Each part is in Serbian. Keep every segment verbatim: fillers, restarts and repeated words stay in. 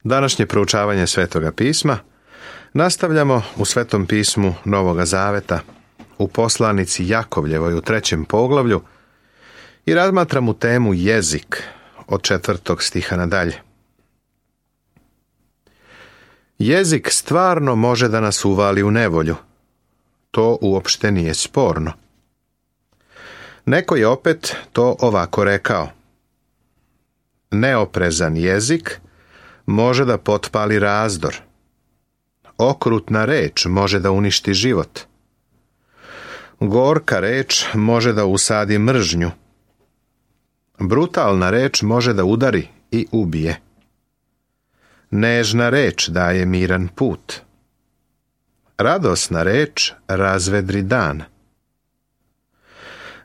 Današnje proučavanje Svetoga pisma nastavljamo u Svetom pismu Novoga Zaveta, u poslanici Jakovljevoj u trećem poglavlju i razmatramo temu jezik od četvrtog stiha nadalje. Jezik stvarno može da nas uvali u nevolju. To uopšte nije sporno. Neko je opet to ovako rekao. Neoprezan jezik može da potpali razdor. Okrutna reč može da uništi život. Gorka reč može da usadi mržnju. Brutalna reč može da udari i ubije. Nežna reč daje miran put. Radosna reč razvedri dan.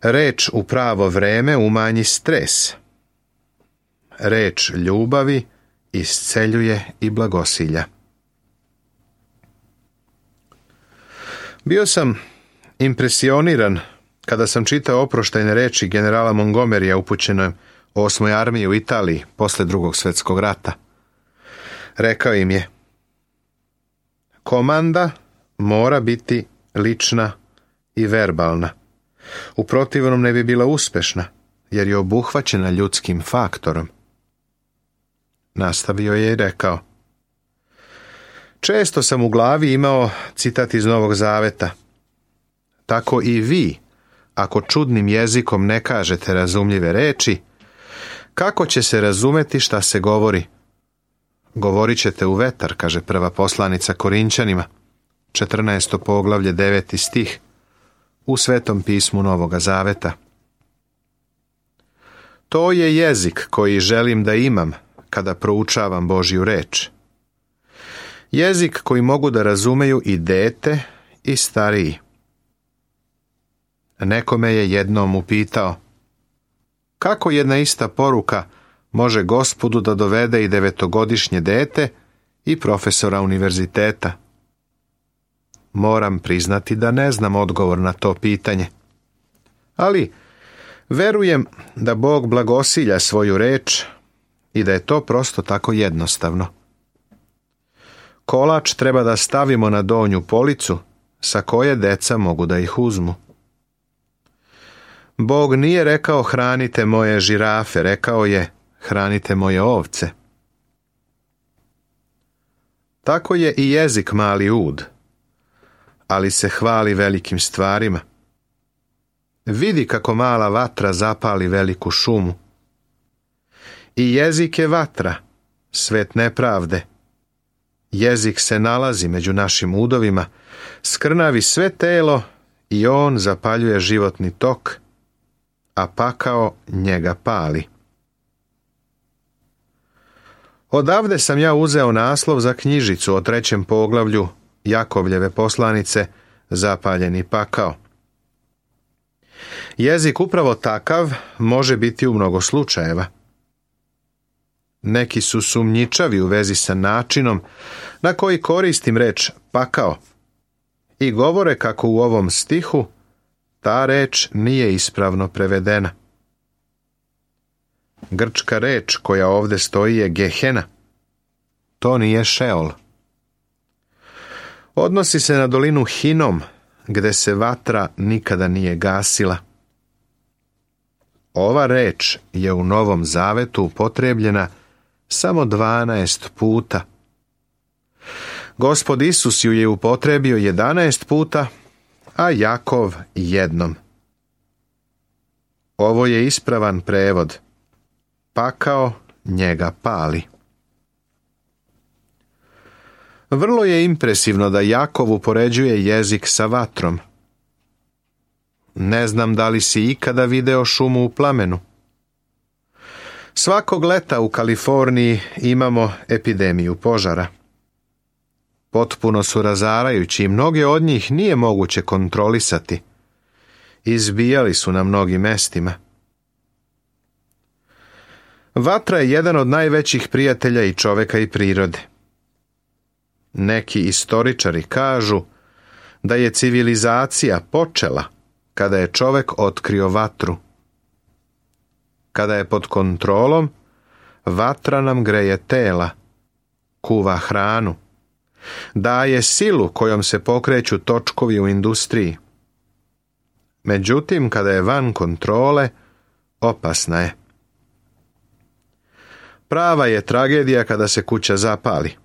Reč u pravo vreme umanji stres. Reč ljubavi isceljuje i blagosilja. Bio sam impresioniran kada sam čitao oproštajne reči generala Montgomerya upućene osmoj armiji u Italiji posle drugog svjetskog rata. Rekao im je: komanda mora biti lična i verbalna. U protivnom ne bi bila uspešna, jer je obuhvaćena ljudskim faktorom. Nastavio je i rekao: često sam u glavi imao citat iz Novog Zaveta. Tako i vi, ako čudnim jezikom ne kažete razumljive reči, kako će se razumeti šta se govori? Govorit ćete u vetar, kaže prva poslanica Korinćanima, četrnaesto poglavlje, deveti stih, u Svetom pismu Novoga Zaveta. To je jezik koji želim da imam kada proučavam Božju reč. Jezik koji mogu da razumeju i dete i stariji. Nekome je jednom upitao: kako jedna ista poruka može Gospodu da dovede i devetogodišnje dete i profesora univerziteta? Moram priznati da ne znam odgovor na to pitanje. Ali verujem da Bog blagosilja svoju reč i da je to prosto tako jednostavno. Kolač treba da stavimo na donju policu sa koje deca mogu da ih uzmu. Bog nije rekao hranite moje žirafe, rekao je hranite moje ovce. Tako je i jezik mali ud, ali se hvali velikim stvarima. Vidi kako mala vatra zapali veliku šumu. I jezik je vatra, svet nepravde. Jezik se nalazi među našim udovima, skrnavi sve telo i on zapaljuje životni tok, a pakao njega pali. Odavde sam ja uzeo naslov za knjižicu o trećem poglavlju Jakovljeve poslanice Zapaljeni pakao. Jezik upravo takav može biti u mnogo slučajeva. Neki su sumnjičavi u vezi sa načinom na koji koristim reč pakao i govore kako u ovom stihu ta reč nije ispravno prevedena. Grčka reč koja ovdje stoji je Gehena. To nije Šeol. Odnosi se na dolinu Hinom, gde se vatra nikada nije gasila. Ova reč je u Novom Zavetu upotrebljena samo dvanaest puta. Gospod Isus ju je upotrebio jedanaest puta, a Jakov jednom. Ovo je ispravan prevod. Pakao njega pali. Vrlo je impresivno da Jakov upoređuje jezik sa vatrom. Ne znam da li si ikada video šumu u plamenu. Svakog leta u Kaliforniji imamo epidemiju požara. Potpuno su razarajući i mnoge od njih nije moguće kontrolisati. Izbijali su na mnogim mestima. Vatra je jedan od najvećih prijatelja i čoveka i prirode. Neki istoričari kažu da je civilizacija počela kada je čovek otkrio vatru. Kada je pod kontrolom, vatra nam greje tela, kuva hranu, daje silu kojom se pokreću točkovi u industriji. Međutim, kada je van kontrole, opasna je. Prava je tragedija kada se kuća zapali.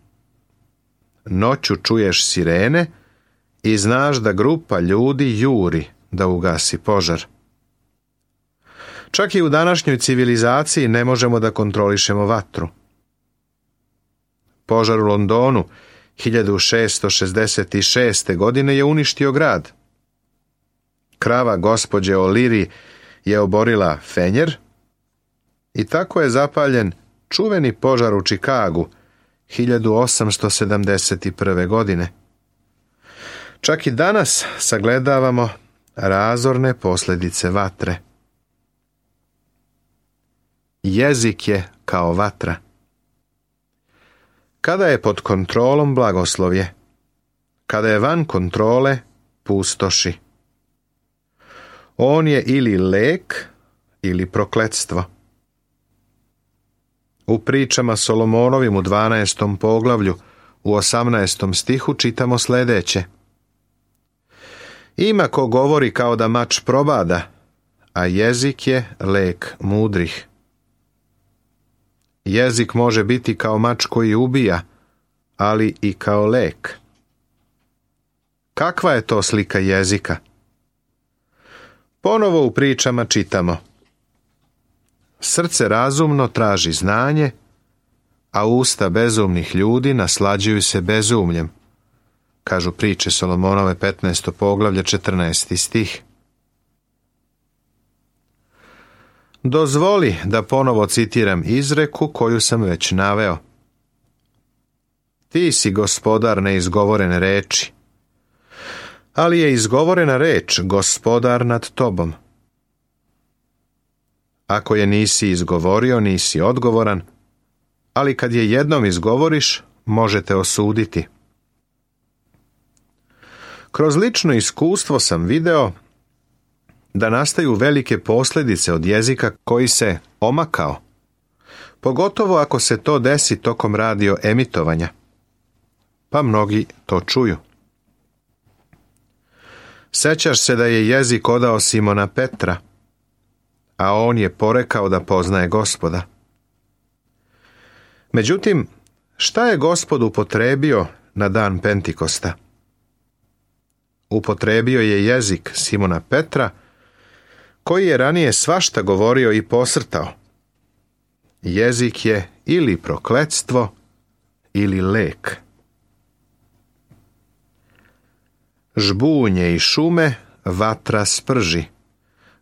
Noću čuješ sirene i znaš da grupa ljudi juri da ugasi požar. Čak i u današnjoj civilizaciji ne možemo da kontrolišemo vatru. Požar u Londonu hiljadu šessto šezdeset šeste. godine je uništio grad. Krava gospođe O'Leary je oborila fenjer i tako je zapaljen čuveni požar u Čikagu hiljadu osamsto sedamdeset prve. godine. Čak i danas sagledavamo razorne posljedice vatre. Jezik je kao vatra. Kada je pod kontrolom, blagoslovje. Kada je van kontrole, pustoši. On je ili lek ili prokletstvo. U pričama Solomonovim u dvanaestom poglavlju u osamnaestom stihu čitamo sljedeće. Ima ko govori kao da mač probada, a jezik je lek mudrih. Jezik može biti kao mač koji ubija, ali i kao lek. Kakva je to slika jezika? Ponovo u pričama čitamo. Srce razumno traži znanje, a usta bezumnih ljudi naslađuju se bezumljem, kažu priče Solomonove petnaesto poglavlje četrnaesti stih. Dozvoli da ponovo citiram izreku koju sam već naveo. Ti si gospodar neizgovorene reči, ali je izgovorena reč gospodar nad tobom. Ako je nisi izgovorio, nisi odgovoran, ali kad je jednom izgovoriš, možete osuditi. Kroz lično iskustvo sam video da nastaju velike posljedice od jezika koji se omakao, pogotovo ako se to desi tokom radio emitovanja, pa mnogi to čuju. Sećaš se da je jezik odao Simona Petra, a on je porekao da poznaje Gospoda. Međutim, šta je Gospod upotrebio na dan Pentikosta? Upotrebio je jezik Simona Petra, koji je ranije svašta govorio i posrtao. Jezik je ili prokletstvo, ili lek. Žbunje i šume vatra sprži,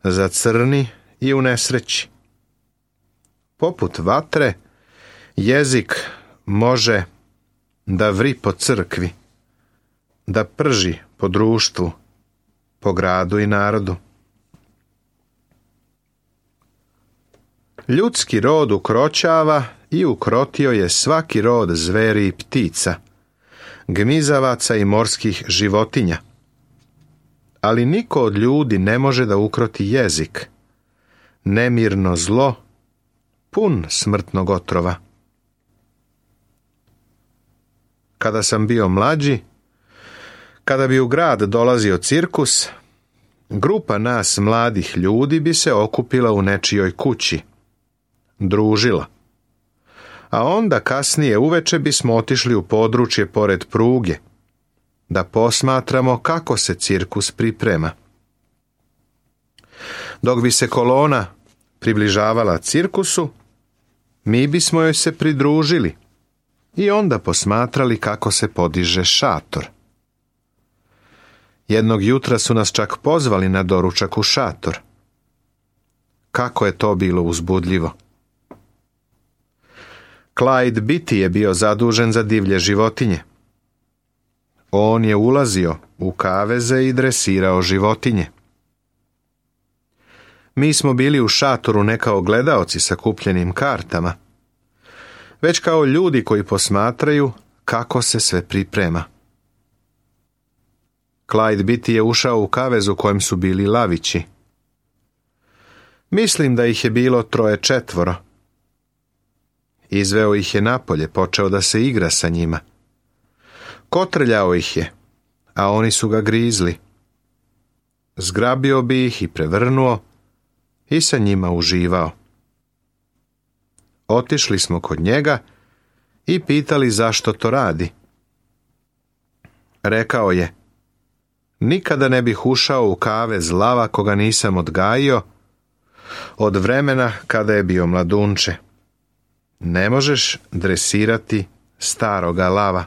zacrni i u nesreći. Poput vatre, jezik može da vri po crkvi, da prži po društvu, po gradu i narodu. Ljudski rod ukroćava i ukrotio je svaki rod zveri i ptica, gmizavaca i morskih životinja. Ali niko od ljudi ne može da ukroti jezik, nemirno zlo, pun smrtnog otrova. Kada sam bio mlađi, kada bi u grad dolazio cirkus, grupa nas mladih ljudi bi se okupila u nečijoj kući, družila. A onda kasnije uveče bismo otišli u područje pored pruge, da posmatramo kako se cirkus priprema. Dok bi se kolona približavala cirkusu, mi bismo joj se pridružili i onda posmatrali kako se podiže šator. Jednog jutra su nas čak pozvali na doručak u šator. Kako je to bilo uzbudljivo. Clyde Beatty je bio zadužen za divlje životinje. On je ulazio u kaveze i dresirao životinje. Mi smo bili u šatoru ne kao gledaoci sa kupljenim kartama, već kao ljudi koji posmatraju kako se sve priprema. Clyde Beatty je ušao u kavez u kojem su bili lavići. Mislim da ih je bilo troje četvoro. Izveo ih je napolje, počeo da se igra sa njima. Kotrljao ih je, a oni su ga grizli. Zgrabio bi ih i prevrnuo i sa njima uživao. Otišli smo kod njega i pitali zašto to radi. Rekao je, nikada ne bih ušao u kavez lava koga nisam odgajio od vremena kada je bio mladunče. Ne možeš dresirati staroga lava.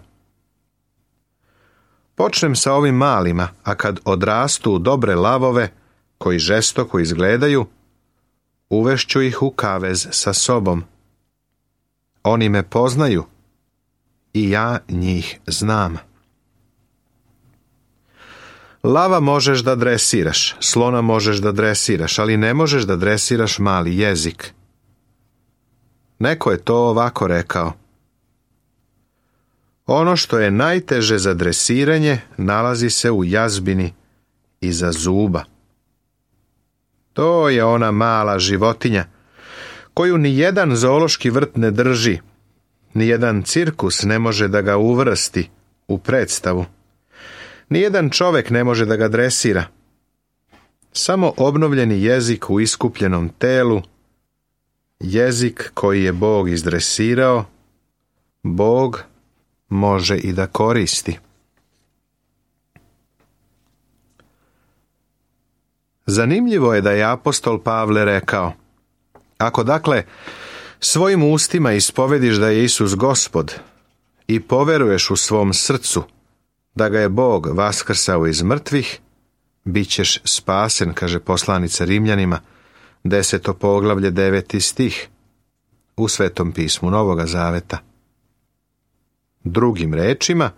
Počnem sa ovim malima, a kad odrastu u dobre lavove, koji žestoko izgledaju, uvešću ih u kavez sa sobom. Oni me poznaju i ja njih znam. Lava možeš da dresiraš, slona možeš da dresiraš, ali ne možeš da dresiraš mali jezik. Neko je to ovako rekao. Ono što je najteže za dresiranje nalazi se u jazbini iza zuba. To je ona mala životinja koju ni jedan zoološki vrt ne drži, ni jedan cirkus ne može da ga uvrsti u predstavu. Nijedan čovjek ne može da ga dresira. Samo obnovljeni jezik u iskupljenom telu, jezik koji je Bog izdresirao, Bog može i da koristi. Zanimljivo je da je apostol Pavle rekao, ako dakle svojim ustima ispovediš da je Isus Gospod i poveruješ u svom srcu da ga je Bog vaskrsao iz mrtvih, bit ćeš spasen, kaže poslanica Rimljanima, deseto poglavlje, deveti stih, u Svetom pismu Novoga Zaveta. Drugim rečima,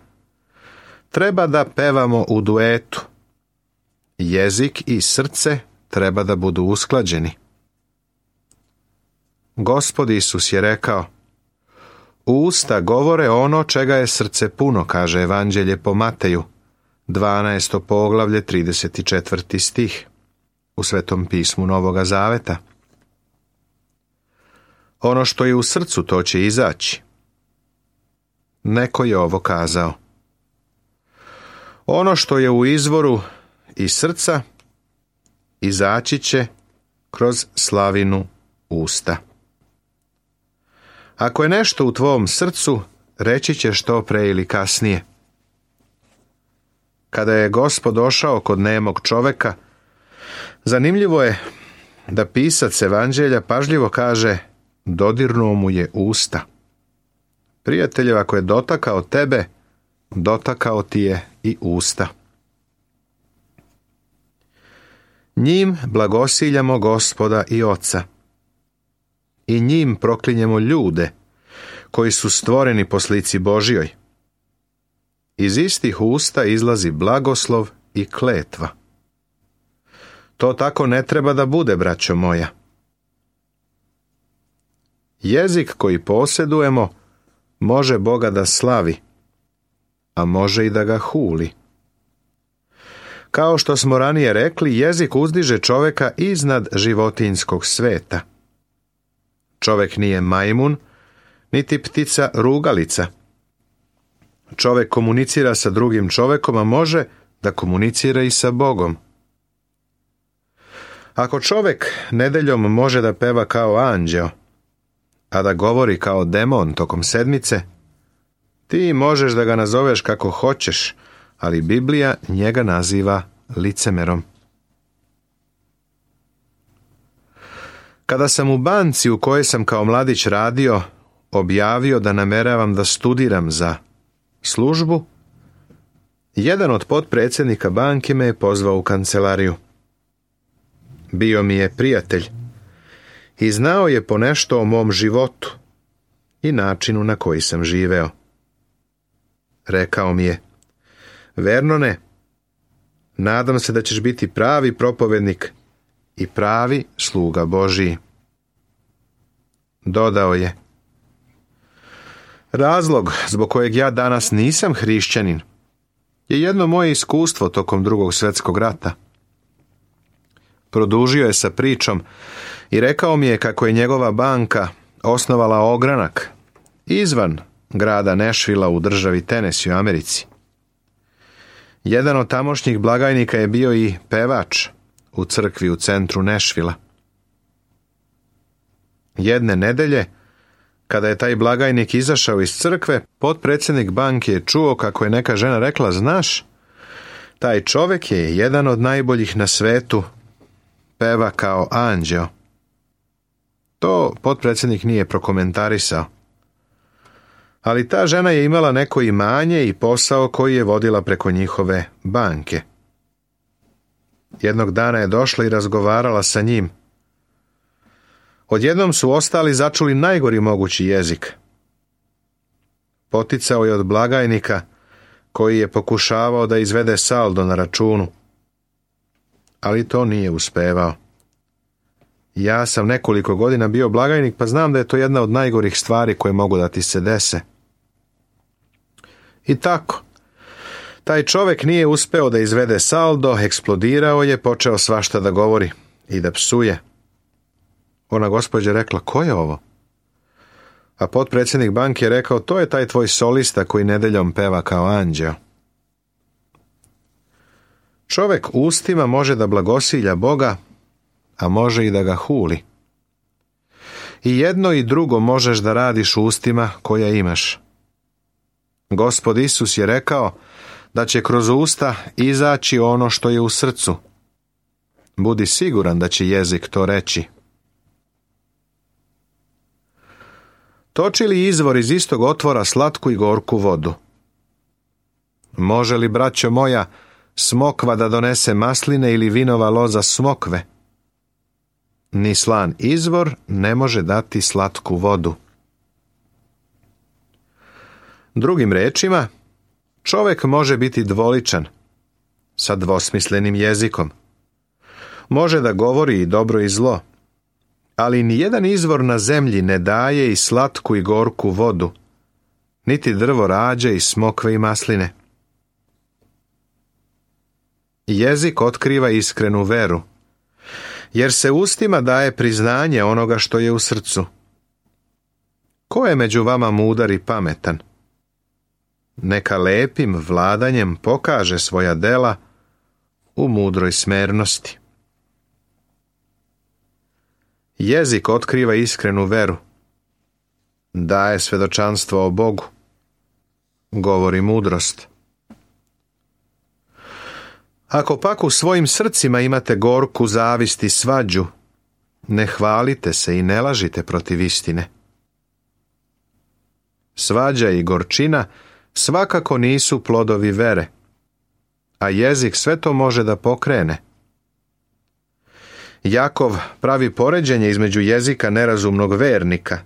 treba da pevamo u duetu. Jezik i srce treba da budu usklađeni. Gospod Isus je rekao, usta govore ono čega je srce puno, kaže Evanđelje po Mateju, dvanaesto poglavlje, trideset četvrti stih, u Svetom pismu Novoga Zaveta. Ono što je u srcu, to će izaći. Neko je ovo kazao. Ono što je u izvoru iz srca, izaći će kroz slavinu usta. Ako je nešto u tvom srcu, reći ćeš to pre ili kasnije. Kada je Gospod došao kod nemog čoveka, zanimljivo je da pisac Evanđelja pažljivo kaže, dodirnuo mu je usta. Prijatelju, ako je dotakao tebe, dotakao ti je i usta. Njim blagosiljamo Gospoda i Oca. I njim proklinjemo ljude koji su stvoreni po slici Božjoj. Iz istih usta izlazi blagoslov i kletva. To tako ne treba da bude, braćo moja. Jezik koji posjedujemo može Boga da slavi, a može i da ga huli. Kao što smo ranije rekli, jezik uzdiže čoveka iznad životinjskog sveta. Čovek nije majmun, niti ptica rugalica. Čovek komunicira sa drugim čovekom, a može da komunicira i sa Bogom. Ako čovek nedeljom može da peva kao anđeo, a da govori kao demon tokom sedmice, ti možeš da ga nazoveš kako hoćeš, ali Biblija njega naziva licemerom. Kada sam u banci u kojoj sam kao mladić radio objavio da nameravam da studiram za službu, jedan od potpredsjednika banke me je pozvao u kancelariju. Bio mi je prijatelj i znao je ponešto o mom životu i načinu na koji sam živeo. Rekao mi je, Vernone, nadam se da ćeš biti pravi propovednik i pravi sluga Božiji. Dodao je, razlog zbog kojeg ja danas nisam hrišćanin je jedno moje iskustvo tokom Drugog svjetskog rata. Produžio je sa pričom i rekao mi je kako je njegova banka osnovala ogranak izvan grada Nashvilla u državi Tennessee u Americi. Jedan od tamošnjih blagajnika je bio i pevač u crkvi u centru Nashvilla. Jedne nedelje, kada je taj blagajnik izašao iz crkve, potpredsjednik banke je čuo kako je neka žena rekla: znaš, taj čovjek je jedan od najboljih na svetu, peva kao anđeo. To potpredsjednik nije prokomentarisao. Ali ta žena je imala neko imanje i posao koji je vodila preko njihove banke. Jednog dana je došla i razgovarala sa njim. Odjednom su ostali začuli najgori mogući jezik. Poticao je od blagajnika koji je pokušavao da izvede saldo na računu. Ali to nije uspevao. Ja sam nekoliko godina bio blagajnik, pa znam da je to jedna od najgorih stvari koje mogu da ti se dese. I tako, taj čovjek nije uspeo da izvede saldo, eksplodirao je, počeo svašta da govori i da psuje. Ona gospođa rekla: ko je ovo? A potpredsjednik banke je rekao: to je taj tvoj solista koji nedeljom peva kao anđeo. Čovjek ustima može da blagosilja Boga, a može i da ga huli. I jedno i drugo možeš da radiš ustima koja imaš. Gospod Isus je rekao da će kroz usta izaći ono što je u srcu. Budi siguran da će jezik to reći. Toči li izvor iz istog otvora slatku i gorku vodu? Može li, braćo moja, smokva da donese masline ili vinova loza smokve? Ni slan izvor ne može dati slatku vodu. Drugim rečima, čovjek može biti dvoličan, sa dvosmislenim jezikom. Može da govori i dobro i zlo, ali nijedan izvor na zemlji ne daje i slatku i gorku vodu, niti drvo rađe i smokve i masline. Jezik otkriva iskrenu veru, jer se ustima daje priznanje onoga što je u srcu. Ko je među vama mudar i pametan? Neka lepim vladanjem pokaže svoja dela u mudroj smernosti. Jezik otkriva iskrenu veru, daje svedočanstvo o Bogu, govori mudrost. Ako pak u svojim srcima imate gorku zavist i svađu, ne hvalite se i ne lažite protiv istine. Svađa i gorčina svakako nisu plodovi vere, a jezik sve to može da pokrene. Jakov pravi poređenje između jezika nerazumnog vernika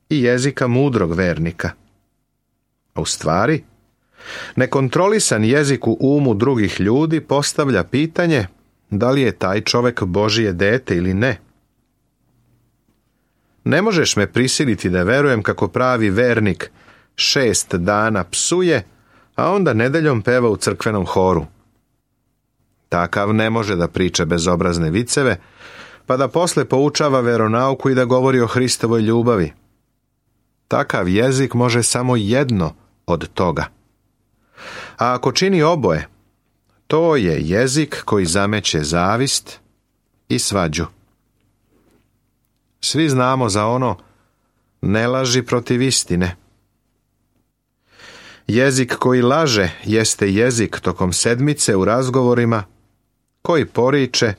i jezika mudrog vernika. A u stvari, nekontrolisan jezik u umu drugih ljudi postavlja pitanje da li je taj čovjek Božije dete ili ne. Ne možeš me prisiliti da verujem kako pravi vernik šest dana psuje, a onda nedeljom peva u crkvenom horu. Takav ne može da priča bezobrazne viceve, pa da posle poučava veronauku i da govori o Hristovoj ljubavi. Takav jezik može samo jedno od toga. A ako čini oboje, to je jezik koji zameće zavist i svađu. Svi znamo za ono: ne laži protiv istine. Jezik koji laže jeste jezik tokom sedmice u razgovorima koji poriče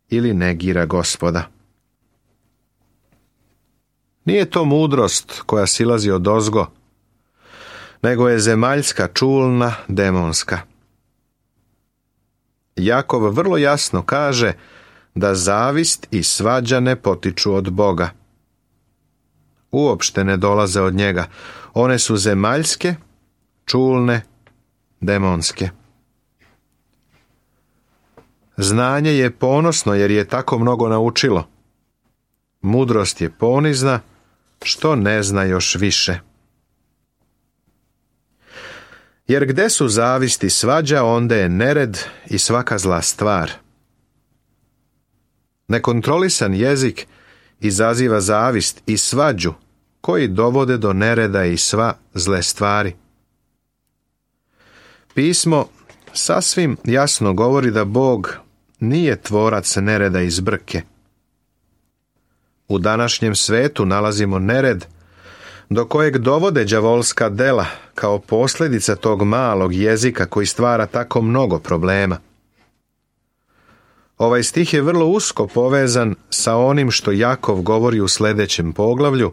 ili negira Gospoda. Nije to mudrost koja silazi odozgo, nego je zemaljska, čulna, demonska. Jakov vrlo jasno kaže da zavist i svađa ne potiču od Boga. Uopšte ne dolaze od njega. One su zemaljske, čulne, demonske. Znanje je ponosno jer je tako mnogo naučilo. Mudrost je ponizna što ne zna još više. Jer gde su zavist i svađa, onda je nered i svaka zla stvar. Nekontrolisan jezik izaziva zavist i svađu koji dovode do nereda i sva zle stvari. Pismo sasvim jasno govori da Bog nije tvorac nereda i zbrke. U današnjem svetu nalazimo nered do kojeg dovode đavolska dela kao posljedica tog malog jezika koji stvara tako mnogo problema. Ovaj stih je vrlo usko povezan sa onim što Jakov govori u sljedećem poglavlju,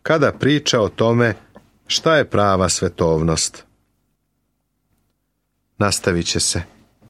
kada priča o tome šta je prava svetovnost. Nastavit će se.